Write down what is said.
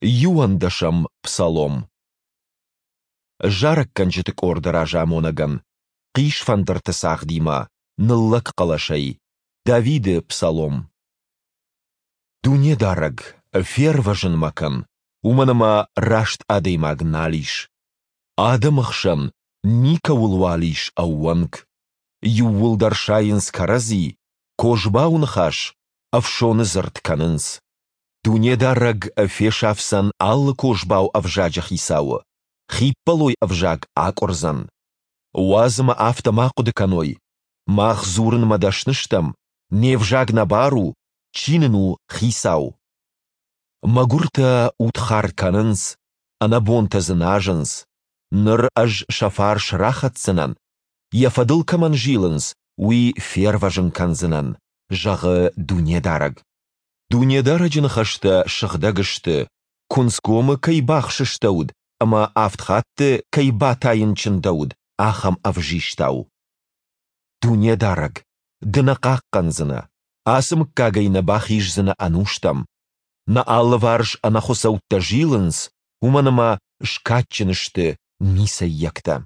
Иуӕндӕсӕм псалом. Зарӕггӕнджыты къорды разамонӕгӕн, хъисфӕндырты цагъдимӕ, ныллӕг хъӕлӕсӕй, Давиды псалом. Дунедарӕг, фервӕзын мӕ кӕн, уымӕн ӕмӕ раст адӕймаг нал ис. Адӕмы хсӕн никӕуылуал ис ӕууӕнк. Иууылдӕр сайынц кӕрӕдзи, козбау ныхас, ӕфсоны дзырд кӕнынц. Дунедарӕг фесафдзӕн алы козбау ӕвзаджы хицауы, хиппӕлой ӕвзаг акъуырдзӕн. Уадз ӕмӕ афтӕ ма хъуыды кӕной, мах дзурынмӕ дӕсны стӕм, не взаг нӕ бар у, чи нын у хицау? Мӕгуыртӕ удхар кӕнынц, ӕнӕбонтӕ дзыназынц. Ныр ӕз сӕ фарс рахӕцдзынӕн, йӕ фӕдыл кӕмӕн зилынц, уый фервӕзын кӕндзынӕн, зӕгъы Дунедарӕг. Дунедарӕджы ныхӕстӕ сыгъдӕг сты, куынцгомы кӕй бахсыстӕуыд ӕмӕ авд хатты кӕй батайын чындӕуыд, ахӕм ӕвзистау. Дунедарӕг, Ды нӕ хъахъхъӕндзынӕ, ацы мыггагӕй нӕ бахиздзынӕ ӕнустӕм. Нӕ алыварс ӕнӕхуыцӕуттӕ зилынц, уымӕн ӕмӕ скадджын сты ницӕййӕгтӕ.